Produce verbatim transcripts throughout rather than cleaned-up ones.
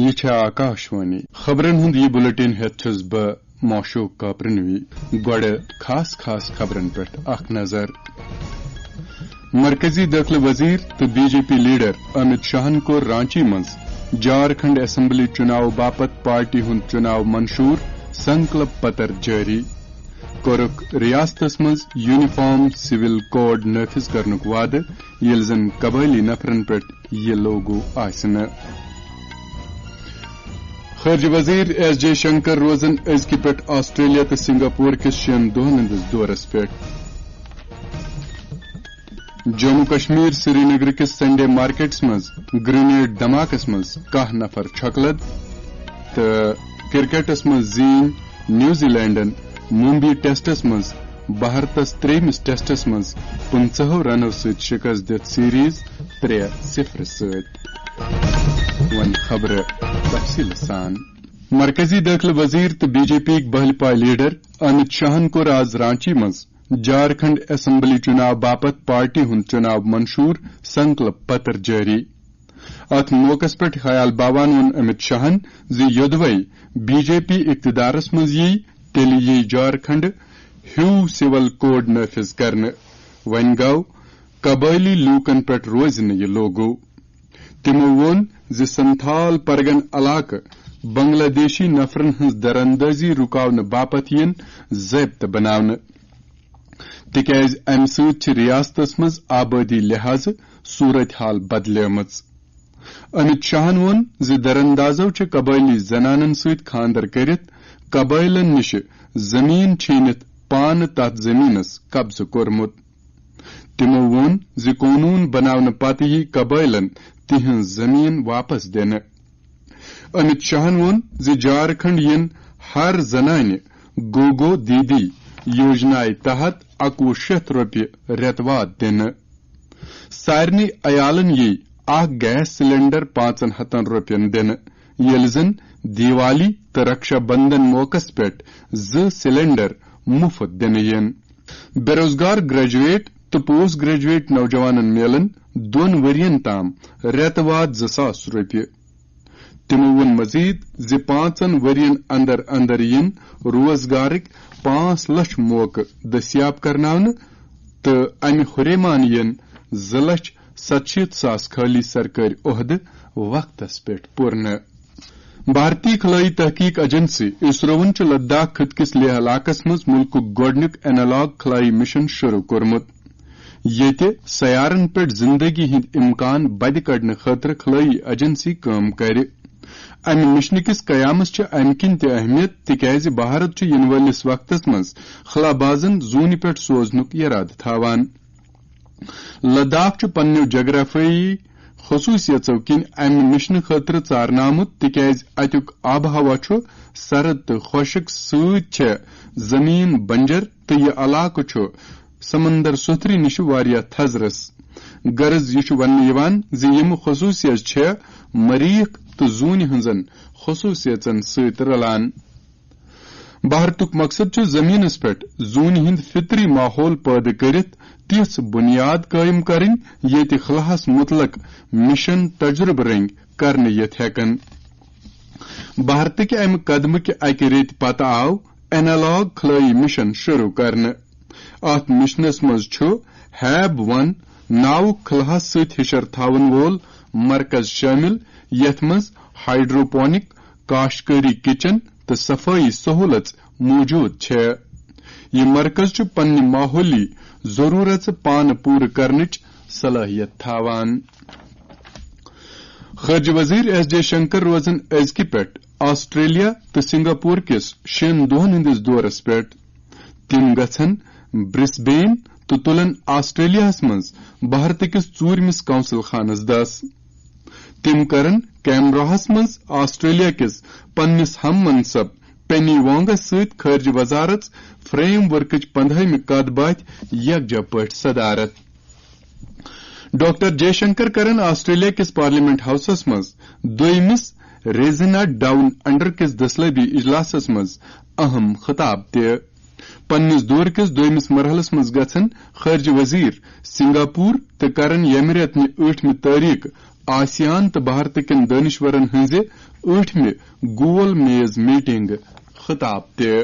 یہِ چھےٚ آکاشوانی۔ خبرن ہُنٛد یہِ بُلٹن ہٮ۪تھ چھُس بہٕ معشوق کاپرنوی۔ گۄڈٕ خاص خاص خبرن پٮ۪ٹھ اکھ نظر۔ مرکزی دٲخلہٕ وزیر تہٕ بی جے پی لیڈر امت شاہن کوٚر رانچی منٛز جھارکھنڈ اسمبلی چُناو باپتھ پارٹی ہُنٛد چُناو منشور سنکلپ پتر جٲری۔ کوٚرُکھ ریاستس منٛز یونیفارم سول کوڈ نافذ کرنُک وعدٕ، ییٚلہِ زن قبٲئلی نفرن پٮ۪ٹھ یہِ لاگو آسہِ نہٕ۔ خارجہ وزیر ایس جے شنکر روزن أزکہِ پٮ۪ٹھ آسٹریلیا تہٕ سنگاپور کِس شٮ۪ن دۄہن ہٕنٛدِس دورس پٮ۪ٹھ۔ جموں کشمیر سرینگر کِس سنڈے مارکیٹس منٛز گرنیڈ دھماکس منٛز کاہ نفر چھۄکہٕ لد، تہٕ کرکٹس منٛز زیٖنۍ نیوزی لینڈن ممبئی ٹیسٹس منٛز بھارتس ترٛیٚیمِس ٹیسٹس منٛز پٕنٛژٕہو رنو سۭتۍ شکست دِتھ سیریز ترٛےٚ صفر سۭتۍ۔ وۄنۍ خبرٕ تفصیٖل سان۔ مرکزی دٲخلہٕ وزیر تہٕ بی جے پی یِکۍ بہلہِ پایہِ لیڈر امت شاہن کوٚر آز رانچی منٛز جھارکھنڈ اسمبلی چُناو باپتھ پارٹی ہُنٛد چُناو منشور سنکلپ پتر جٲری۔ اتھ موقعس پٮ۪ٹھ خیال باوان ووٚن امت شاہن زِ یوٚدوے بی جے پی اقتدارس منٛز ییہِ، تیٚلہِ ییہِ جھارکھنڈ ہیوٗ سول کوڈ نافذ کرنہٕ۔ وۄنۍ گوٚو قبٲئلی لوٗکن پٮ۪ٹھ روزِ نہٕ یہِ لاگو۔ تِمو ووٚن زِ سنتھال پرگن علاقہٕ بنگلہ دیشی نفرن ہٕنٛز دراندازی رُکاونہٕ باپتھ یِن ضٲبطہٕ بناونہٕ، تِکیازِ امہِ سۭتۍ چھِ ریاستس منٛز آبٲدی لحاظہٕ صورت حال بدلیمٕژ۔ امت شاہن ووٚن زِ دراندازو چھِ قبٲئلی زنانن سۭتۍ خانٛدر کٔرِتھ قبٲئلن نِش زٔمیٖن چھیٖنِتھ پانہٕ تتھ زٔمیٖنس قبضہٕ کوٚرمُت۔ تِمو ووٚن زِ قونوٗن بناونہٕ پتہٕ یِیہِ قبٲئلن تِہنٛز زٔمیٖن واپس دِنہٕ۔ امت شاہن ووٚن زِ جھارکھنڈ یِن ہر زنانہِ گوگو دیدی یوجنایہِ تحت اَکوُہ شیٚتھ رۄپیہِ رٮ۪تہٕ واد دِنہٕ۔ سارنٕے عیالن یِیہِ اکھ گیس سلنڈر پانٛژن ہتن رۄپین دِنہٕ، ییٚلہِ زن دیوالی تہٕ رکشا بندھن موقعس پٮ۪ٹھ زٕ سلنڈر مُفت دِنہٕ یِن۔ بے روزگار گریجویٹ تہٕ پوسٹ گریجویٹ نوجوانن میلن دۄن ؤرین تام رٮ۪تہٕ واد زٕ ساس رۄپیہِ۔ تِمو ووٚن مزید زِ پانٛژن ؤرین اندر اندر یِن روزگارٕکۍ پانٛژھ لچھ موقعہٕ دٔستیاب کرناونہٕ تہٕ امہِ ہُریمان یِن زٕ لچھ ستشیٖتھ ساس خٲلی سرکٲرۍ عہدٕ وقتس پٮ۪ٹھ پوٗرنہٕ۔ بھارتی خلٲئی تحقیق ایجنسی اسروَن چھُ لداخ خٕطہٕ کِس لیہہ علاقس منٛز مُلکُک گۄڈٕنیُک اینالاگ خلٲئی مشن شروع کوٚرمُت، ییٚتہِ سیارن پٮ۪ٹھ زندگی ہٕنٛدۍ امکان بدِ کڑنہٕ خٲطرٕ خلٲئی ایجنسی کٲم کرِ۔ امہِ مشنہٕ کِس قیامس چھِ امہِ کِنۍ تہِ اہمیت، تِکیازِ بھارت چھُ یِنہٕ وٲلِس وقتس منٛز خلابازن زوٗنہِ پٮ۪ٹھ سوزنُک یرادٕ تھاوان۔ لداخ چھُ پننیو جغرافیٲیی خصوٗصیژو کِنۍ امہِ مشنہٕ خٲطرٕ ژارنہٕ آمُت، تِکیازِ اتیُک آب و ہوا چھُ سرد تہٕ خۄشک، سۭتۍ چھےٚ زمین بنجر تہٕ یہِ علاقہٕ چھُ سمندر سوٚتھرِ نِش واریاہ تھزرس۔ غرض، یہِ چھُ وننہٕ یِوان زِ یِم خصوٗصیژٕ چھےٚ مریخ تہٕ زوٗنہِ ہٕنٛزن خصوٗصیژن سۭتۍ رلان۔ بھارتُک مقصد چھُ زمینس پٮ۪ٹھ زوٗنہِ ہُنٛد فطری ماحول پٲدٕ کٔرِتھ تِژھ بُنیاد قٲیِم کرٕنۍ، ییٚتہِ خلاہس مُتعلق مشن تجربہٕ رٔنگۍ کرنہٕ یِتھ ہٮ۪کن۔ بھارتٕکہِ امہِ قدمہٕ کہِ اکہِ ریتہِ پتہٕ آو اینالاگ خلٲئی مشن شروع کرنہٕ۔ اتھ مشنس منٛز چھُ ہیب ون ناوُک خلاہس سۭتۍ ہشر تھاون وول مرکز شٲمِل، یتھ منٛز ہائیڈروپونک کاشتکٲری کچن تہٕ صفٲیی سہولژ موجود چھےٚ۔ یہِ مرکز چھُ پننہِ ماحولی ضرورژ پانہٕ پوٗرٕ کرنٕچ صلٲحیت تھاوان۔ خارجہ وزیر ایس جے شنکر روزن أزکہِ پٮ۪ٹھ آسٹریلیا تہٕ سنگاپور کِس شٮ۪ن دۄہن ہٕنٛدِس دورس پٮ۪ٹھ۔ تِم گژھن برسبین تہٕ تُلن آسٹریلیاہس منٛز بھارت کِس ژوٗرمِس قونصل خانس دس۔ تِم کرن کینبراہس منٛز آسٹریلیا کِس پننِس ہم منصب پینی وانگس سۭتۍ خارجہ وزارت فریم ورکٕچ پندہٲیمہِ کتھ باتھِ یکجا پٲٹھۍ صدارت۔ ڈاکٹر جے شنکر کرن آسٹریلیا کِس پارلیمنٹ ہاؤسس منٛز دویمِس ریزینا ڈاؤن انڈر کِس دٔسلٲبی اجلاسس منٛز اہم خطاب تہِ۔ پننِس دورٕ کِس دویمِس مرحلس منٛز گژھن خارجہ وزیر سنگاپور تہٕ کرن ییٚمہِ رٮ۪تہٕ نہِ ٲٹھمہِ تٲریخ آسیان تہٕ بھارتہٕ کٮ۪ن دٲنِشورن ہٕنٛزِ ٲٹھمہِ گول میز میٹنگ خطاب تہِ۔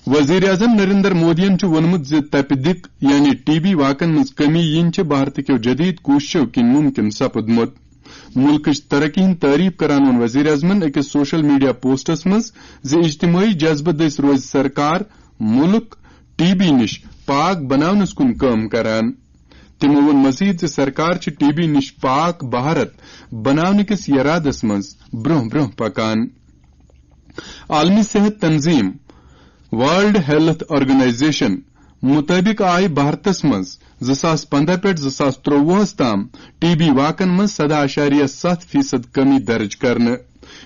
وزیر اعظم نریندر مودیَن چھُ ووٚنمُت زِ تپہِ دِق یعنی ٹی بی واقعن منٛز کمی یِنۍ چھِ بھارتہٕ کیو جدید کوٗششو کِنۍ مُمکِن سپُدمُت۔ مُلکٕچ ترقی ہٕنٛز تعریف کران ووٚن وزیر اعظمَن أکِس سوشل میڈیا پوسٹَس منٛز زِ اجتمٲعی جذبہٕ دٔسۍ روزِ سرکار مُلک ٹی بی نِش پاک بناونَس کُن کٲم کران۔ تِمَو ووٚن مزید زِ سرکار چھِ ٹی بی نِش پاک بھارت بناونہٕ کِس یرادس منٛز برٛونٛہہ برٛونٛہہ پکان۔ عالمی صحت تنظیم، ورلڈ ہیلتھ آرگنائزیشن مُطٲبِق آیہِ بھارتس منٛز زٕ ساس پنٛداہ پٮ۪ٹھ زٕ ساس ترٛۆوُہس تام ٹی بی واقعن منٛز سداہ اعشاریہ ستھ فیصد کمی درج کرنہٕ۔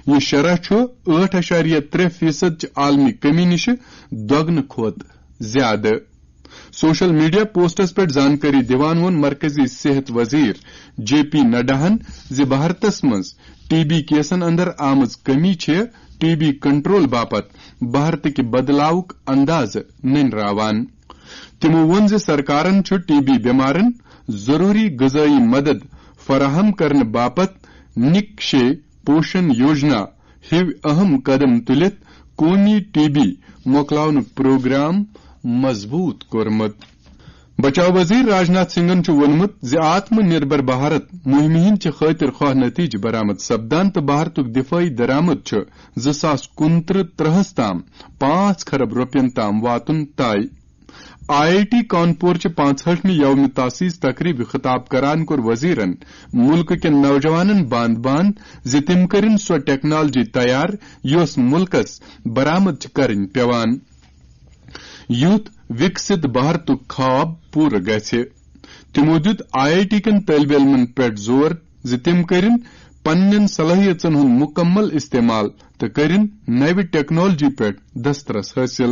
یہِ شرح چھُ ٲٹھ اعشاریہ ترٛےٚ فیصد چہِ عالمی کمی نِش دۄگنہٕ کھۄتہٕ زیادٕ۔ سوشل میڈیا پوسٹس پٮ۪ٹھ زانکٲری دِوان ووٚن مرکزی صحت وزیر جے پی نڈاہن زِ بھارتس منٛز ٹی بی کیسن اندر آمٕژ کمی چھِ ٹی بی کنٹرول باپتھ بھارتٕکہِ بدلاوُک اندازٕ نٔنراوان۔ تِمو ووٚن زِ سرکارن چھُ ٹی بی بیمارن ضروری غذٲیی مدد فراہم کرنہٕ باپتھ نِکشے پوشن یوجنا ہیوۍ اہم قدم تُلِتھ قومی ٹی بی مۄکلاونُک پروگرام مضبوط کوٚرمُت۔ بچاو وزیر راجناتھ سنگھن چھُ ووٚنمُت زِ آتم نربھر بھارت مُہِمہِ ہٕنٛدۍ چھِ خٲطر خواہ نتیجہٕ برآمد سپدان تہٕ بھارتُک دفٲعی درآمد چھُ زٕ ساس کُنترٕہ ترٕہس تام پانٛژھ کھرب رۄپین تام واتُن طے۔ آئی آئی ٹی کانپور چہِ پانٛژہٲٹھمہِ یوم تاسیس تقریبہِ خطاب کران کوٚر وزیرن مُلکہٕ کٮ۪ن نوجوانن باند باند زِ تِم کٔرِن سۄ ٹیکنالوجی تیار یۄس مُلکس برآمد چھِ کرٕنۍ پیوان، یُتھ وِکسِت بھارتُک خواب پوٗرٕ گژھِ۔ تِمو دیُت آئی آئی ٹی کٮ۪ن طٲلبہِ علمن پٮ۪ٹھ زور زِ تِم کٔرِن پننٮ۪ن صلٲحیژن ہُنٛد مُکمل استعمال تہٕ کٔرِن نوِ ٹیکنالوجی پٮ۪ٹھ دسترس حٲصِل۔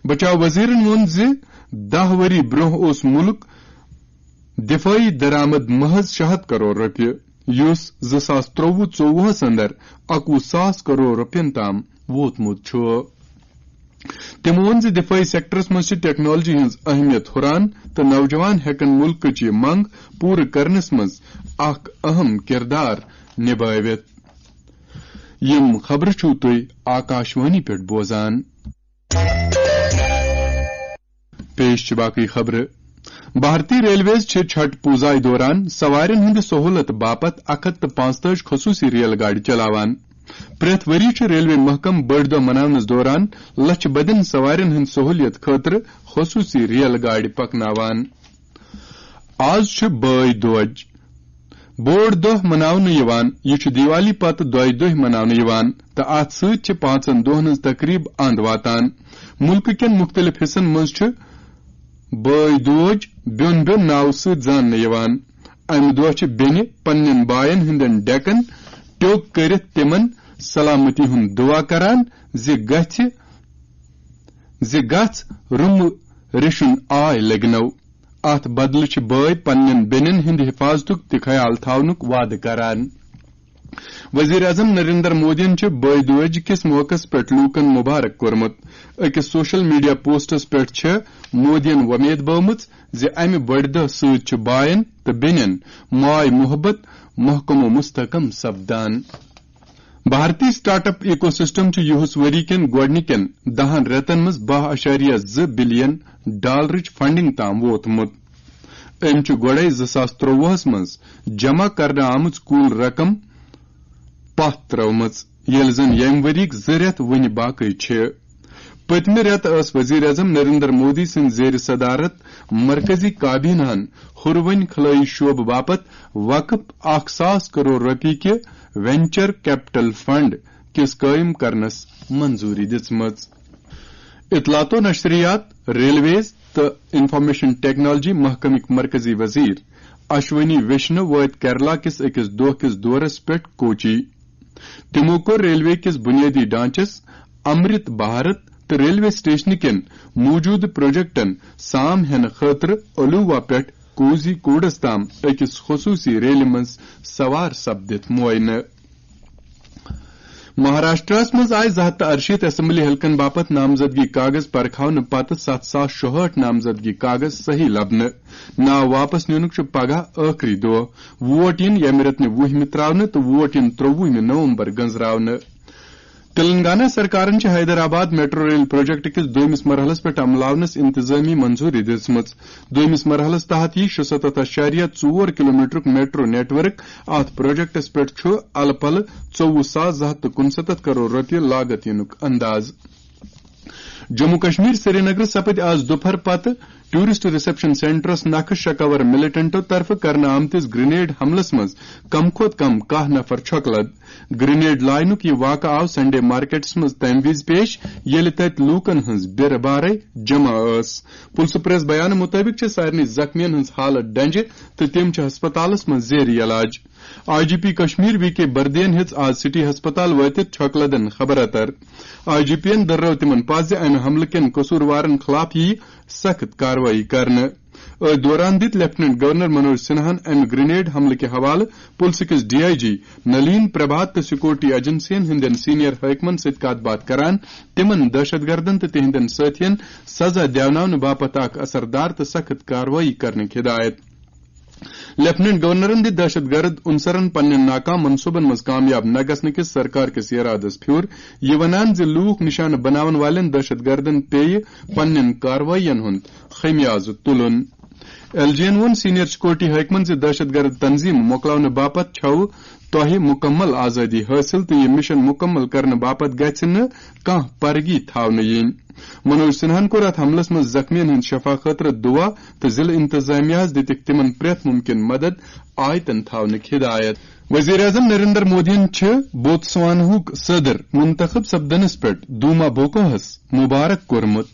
بچاو وزیرن ووٚن زِ دَہ ؤری برٛونٛہہ اوس مُلک دفٲعی درآمد محض شےٚ ہتھ کرور رۄپیہِ، یُس زٕ ساس ترٛۆوُہ ژۄوُہس اندر اَکوُہ ساس کرور رۄپین تام ووتمُت چھُ۔ تٔمۍ ووٚن زِ دفٲعی سیکٹرس منٛز چھِ ٹیکنالوجی ہٕنٛز اہمیت ہُران تہٕ نوجوان ہٮ۪کن مُلکٕچ یہِ منٛگ پوٗرٕ کرنس منٛز اکھ اہم کردار نبٲوِتھ۔ یِم خبرٕ چھِو تُہۍ آکاشوانی پٮ۪ٹھ بوزان۔ پیش چھِ باقٕے خبرٕ۔ بھارتی ریلویز چھِ چھٹ پوٗزایہِ دوران سوارٮ۪ن ہٕنٛدِ سہوٗلت باپتھ اکھ ہتھ تہٕ پانٛژتٲجی خصوٗصی ریل گاڑِ چلاوان۔ پرٛٮ۪تھ ؤری چھُ ریلوے محکمہٕ بٔڑۍ دۄہ مناونس دوران لچھِ بٔدٮ۪ن سوارٮ۪ن ہٕنٛدِ سہوٗلیت خٲطرٕ خصوٗصی ریل گاڑِ پکناوان۔ آز چھُ بٲے دوج بوٚڑ دۄہ مناونہٕ یِوان۔ یہِ چھُ دیوالی پتہٕ دۄیہِ دۄہہِ مناونہٕ یِوان تہٕ اتھ سۭتۍ چھِ پانٛژن دۄہن ہٕنٛز تقریب اند واتان۔ مُلکہٕ کٮ۪ن مُختٔلِف حصن منٛز چھُ بٲے دوج بیوٚن بیوٚن ناوٕ سۭتۍ زاننہٕ یِوان۔ امہِ دۄہ چھِ بیٚنہِ پننٮ۪ن باین ہٕنٛدٮ۪ن ڈیکن ٹیوٚک کٔرِتھ تِمن سلامتی ہُنٛد دُعا کران زِ گژھِ، زِ گژھ رُمہٕ ریشُن آے لگنو۔ اتھ بدلہٕ چھِ بٲے پننٮ۪ن بیٚنٮ۪ن ہٕنٛدِ حفاظتُک تہِ خیال تھاونُک وعدٕ کران۔ وزیر اعظم نریندر مودیَن چھُ بٲے دوج کِس موقعس پٮ۪ٹھ لوٗکَن مبارک کوٚرمُت۔ أکِس سوشل میڈیا پوسٹس پٮ۪ٹھ چھِ مودیَن وۄمید بٲومٕژ زِ امہِ بٔڑِ دۄہ سۭتۍ چھُ باین تہٕ بیٚنٮ۪ن ماے محبت محکم و مستحکم سپدان۔ بھارتی سٹارٹ اپ ایکو سسٹم چھُ یِہُس ؤری کٮ۪ن گۄڈٕنِکٮ۪ن دَہَن رٮ۪تن منٛز باہ اعشاریہ زٕ بلین ڈالرٕچ فنڈنگ تام ووتمُت۔ أمۍ چھُ گۄڈَے زٕ ساس ترٛۆوُہَس منٛز جمع کرنہٕ آمٕژ کُل رقم پتھ ترٲومٕژ، ییٚلہِ زن ییٚمہِ ؤریِکۍ زٕ رٮ۪تھ وُنہِ باقٕے چھِ۔ پٔتمہِ رٮ۪تہٕ ٲس وزیر اعظم نریندر مودی سٕنٛدِ زیر صدارت مرکزی کابینہن ہُروٕنۍ خلٲیی شعبہٕ باپتھ وقف اکھ ساس کرور رۄپیہِ کہِ وینچر کیپٹل فنڈ کِس قٲیِم کرنس منظوٗری دِژمٕژ۔ اطلاعات و نشریات، ریلویز تہٕ انفارمیشن ٹیکنالوجی محکمٕکۍ مرکزی وزیر اشونی ویشنو وٲتۍ کیرلا کِس أکِس دۄہ کِس دورس پٮ۪ٹھ کوچی۔ تِمو کوٚر ریلوے کِس بُنیٲدی ڈھانچس، امرت بھارت تہٕ ریلوے سٹیشنہٕ کٮ۪ن موٗجوٗدٕ پروجیکٹن سام ہٮ۪نہٕ خٲطرٕ الوا پٮ۪ٹھ کوزی کوڈس تام أکِس خصوٗصی ریلہِ منٛز سوار سپدِتھ معاینہٕ۔ مہاراشٹرس منٛز آیہِ زٕ ہتھ تہٕ اَرشیٖتھ اسمبلی حلقن باپتھ نامزدگی کاغذ پرکھاونہٕ پتہٕ ستھ ساس شُہٲٹھ نامزدگی کاغذ صحیح لبنہٕ۔ ناو واپس نِنُک چھُ پگاہ ٲخری دۄہ۔ ووٹ یِن ییٚمہِ رٮ۪تہٕ نہِ وُہمہِ ترٛاونہٕ تہٕ ووٹ یِن ترٛووُہمہِ نومبر گٔنزراونہٕ۔ تلنگانہ سرکارن چھِ حیدرآباد میٹرو ریل پروجیکٹ کِس دوٚیمِس مرحلس پٮ۪ٹھ عملاونس انتظٲمی منظوٗری دِژمٕژ۔ دوٚیمِس مرحلس تحت یی شُسَتتھ اَشاریہ ژور کلومیٹرُک میٹرو نیٹ ورک۔ اتھ پروجیکٹس پٮ۪ٹھ چھُ الہٕ پلہٕ ژوٚوُہ ساس زٕ ہتھ تہٕ کُنسَتتھ کرور رۄپیہِ لاگت یِنُک انداز۔ جموں کشمیر سرینگر سپٕدۍ آز دُپہر پتہٕ ٹورسٹ ریسپشن سینٹرس نکھٕ شکاور ملیٹنٹو طرفہٕ کرنہٕ آمتِس گرینیڈ حملس منٛز کم کھۄتہٕ کم کاہ نفر چھۄکہٕ لد۔ گرینیڈ لاینُک یہِ واقعہٕ آو سنڈے مارکیٹس منٛز تَمہِ وِزِ پیش، ییٚلہِ تَتہِ لوٗکَن ہٕنٛز بیرٕ بارے جمع ٲس۔ پُلسہٕ پریس بیانہٕ مُطٲبِق چھِ سارنٕے زخمیَن ہٕنٛز حالت ڈنجہِ تہٕ تِم چھِ ہسپتالَس منٛز زیر علاج۔ I G P Kashmir V K بردین ہیٚژ آز سٹی ہسپتال وٲتِتھ چھۄکہٕ لدن خبر اتر۔ آئی جی پی یَن دٔررٲو تِمَن پَتھ زِ اَمہِ حملہٕ کٮ۪ن قصوٗروارَن خٕلاف یِیہِ سخت کاروٲیی کرنہٕ۔ أتھۍ دوران دِتۍ لیفٹیننٹ گورنر منوج سنہاہن امہِ گرینیڈ حملہٕ کہِ حوالہٕ پُلسہٕ کِس ڈی آئی جی نلین پربھات تہٕ سیکورٹی ایجنسین ہٕنٛدٮ۪ن سینئر حٲکمن سۭتۍ کتھ باتھ کران تِمن دہشت گردن تہٕ تِہنٛدٮ۪ن سٲتھین سزا دیوناونہٕ باپتھ اکھ اثردار تہٕ سخت کاروٲیی کرنٕکۍ ہدایت۔ لیفٹیننٹ گورنرن دِتۍ دہشت گرد عنصرن پننٮ۪ن ناکام منصوبن منٛز کامیاب نہ گژھنہٕ کِس سرکار کِس ارادس پھیُر، یہِ ونان زِ لوٗکھ نشانہٕ بناون والٮ۪ن دہشت گردن پیٚیہِ پننٮ۪ن کاروٲیین ہُنٛد خمیازٕ تُلُن۔ ایل جی یَن ووٚن سینئر سیکورٹی حٲکمَن زِ دہشت گرد تنظیٖم مۄکلاونہٕ باپتھ چھَو تۄہہِ مُکمل آزٲدی حٲصِل تہٕ یہِ مِشن مُکمل کرنہٕ باپتھ گژھِ نہٕ کانٛہہ پرگی تھاونہٕ یِنۍ۔ منوج سنہاہن کوٚر اَتھ حملس منٛز زخمیَن ہٕنٛدِ شفا خٲطرٕ دُعا تہٕ ضلعہٕ انتظامیہَس دِتِکھ تِمَن پرٛٮ۪تھ مُمکِن مدد آیتن تھاونٕکۍ ہدایت۔ وزیر اعظم نریندر مودیَن چھِ بوتسواناہُک صدر منتخب سپدنس پٮ۪ٹھ دوما بوکوہَس مبارک کوٚرمُت۔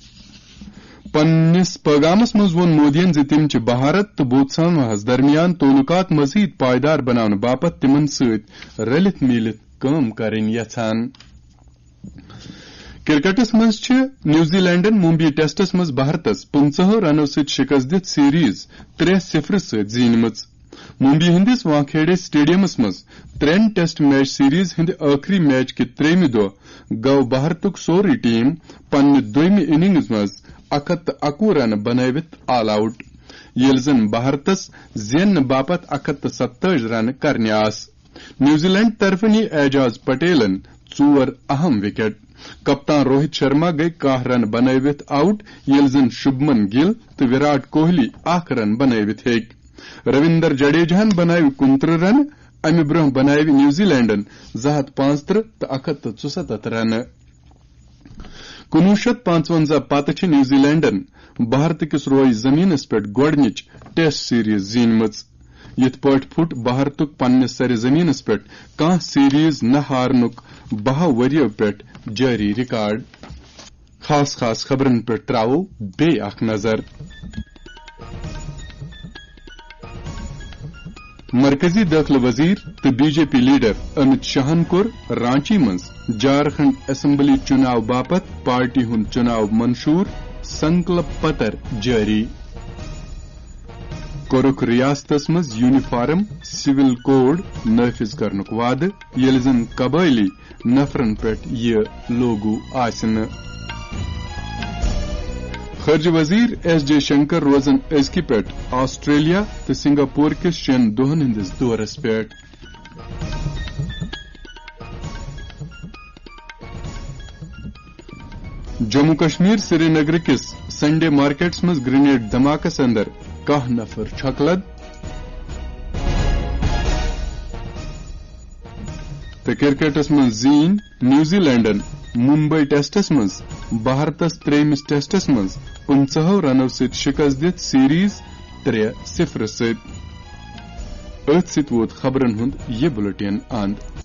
پننِس پیغامس منٛز ووٚن مودیَن زِ تِم چھِ بھارت تہٕ بوتسواناہَس درمیان تعلقات مزید پائیدار بناونہٕ باپتھ تِمن سۭتۍ رلِتھ میٖلِتھ کٲم کرٕنۍ یژھان۔ کرکٹس منٛز چھِ نیوزی لینڈن ممبئی ٹیسٹس منٛز بھارتس پٕنٛژٕہو رنو سۭتۍ شکست دِتھ سیریز ترٛےٚ صفر سۭتۍ زیٖنمٕژ۔ ممبئی ہٕنٛدِس وانکھیڑے سٹیڈیمس منٛز ترٛٮ۪ن ٹیسٹ میچ سیریز ہٕنٛدِ ٲخری میچ کہِ ترٛیٚیمہِ دۄہ گوٚو بھارتُک سورُے ٹیم پننہِ دوٚیمہِ اننگز منٛز اکھ ہتھ تہٕ اَکوُہ رنہٕ بنٲوِتھ آل آوٹ، ییٚلہِ زن بھارتس زیننہٕ باپتھ اکھ ہتھ تہٕ ستٲجی رنہٕ کرنہِ آسہٕ۔ نیوزی لینڈ طرفہٕ نی اعجاز پٹیلن ژور اہم وکٹ۔ کپتان روہت شرما گٔیہِ کاہ رنہٕ بنٲوِتھ آوٹ، ییٚلہِ زن شُبمن گِل تہٕ وِراٹ کوہلی اکھ رن بنٲوِتھ ہیٚکۍ۔ رویندر جڈیجاہن بنٲوِ کُنترٕہ رنہٕ، امہِ برونٛہہ بنٲوِ نیوزی لینڈن زٕ ہتھ پانٛژترٕہ تہٕ اکھ ہتھ تہٕ ژُسَتتھ رنہٕ۔ کُنوُہ شیٚتھ پانٛژونٛزاہ پتہٕ چھِ نیوزی لینڈن بھارت کِس رویہِ زمینس پٮ۪ٹھ گۄڈٕنِچ ٹیسٹ سیریز زیٖنمٕژ۔ یِتھ پٲٹھۍ پھُٹ بھارتُک پننِس سرِ زمینس پٮ۪ٹھ کانٛہہ سیریز نہ ہارنُک بَہَو ؤرِیو پٮ۪ٹھ جٲری ریکارڈ۔ خاص خاص خبرن پٮ۪ٹھ ترٛاوو بیٚیہِ اکھ نظر۔ مرکزی دٲخلہٕ وزیر تہٕ بی جے پی لیڈر امت شاہن کوٚر رانچی منٛز جھارکھنڈ اسمبلی چُناو باپتھ پارٹی ہُنٛد چُناو منشور سنکلپ پتر جٲری۔ کوٚرُکھ ریاستس منٛز یونیفارم سول کوڈ نافذ کرنُک وعدٕ، ییٚلہِ زن قبٲئلی نفرن پٮ۪ٹھ یہِ لاگو آسہِ نہٕ۔ خارجہ وزیر ایس جے شنکر روزن أزکہِ پٮ۪ٹھ آسٹریلیا تہٕ سنگاپور کِس شٮ۪ن دۄہن ہٕنٛدِس دورس پٮ۪ٹھ۔ جموں کشمیر سرینگر کِس سنڈے مارکیٹس منٛز گرینیڈ دھماکس اندر کاہ نفر چھۄکہٕ لد۔ تہٕ کرکٹس منٛز زیٖنۍ نیوزی لینڈن ممبئی ٹیسٹس منٛز بھارتس ترٛیٚیمِس ٹیسٹس منٛز پٕنٛژٕہو رنو سۭتۍ شکست دِتھ سیریز ترٛےٚ صفر سۭتۍ۔ أتھۍ سۭتۍ ووت خبرن ہُنٛد یہِ بُلٹن اند۔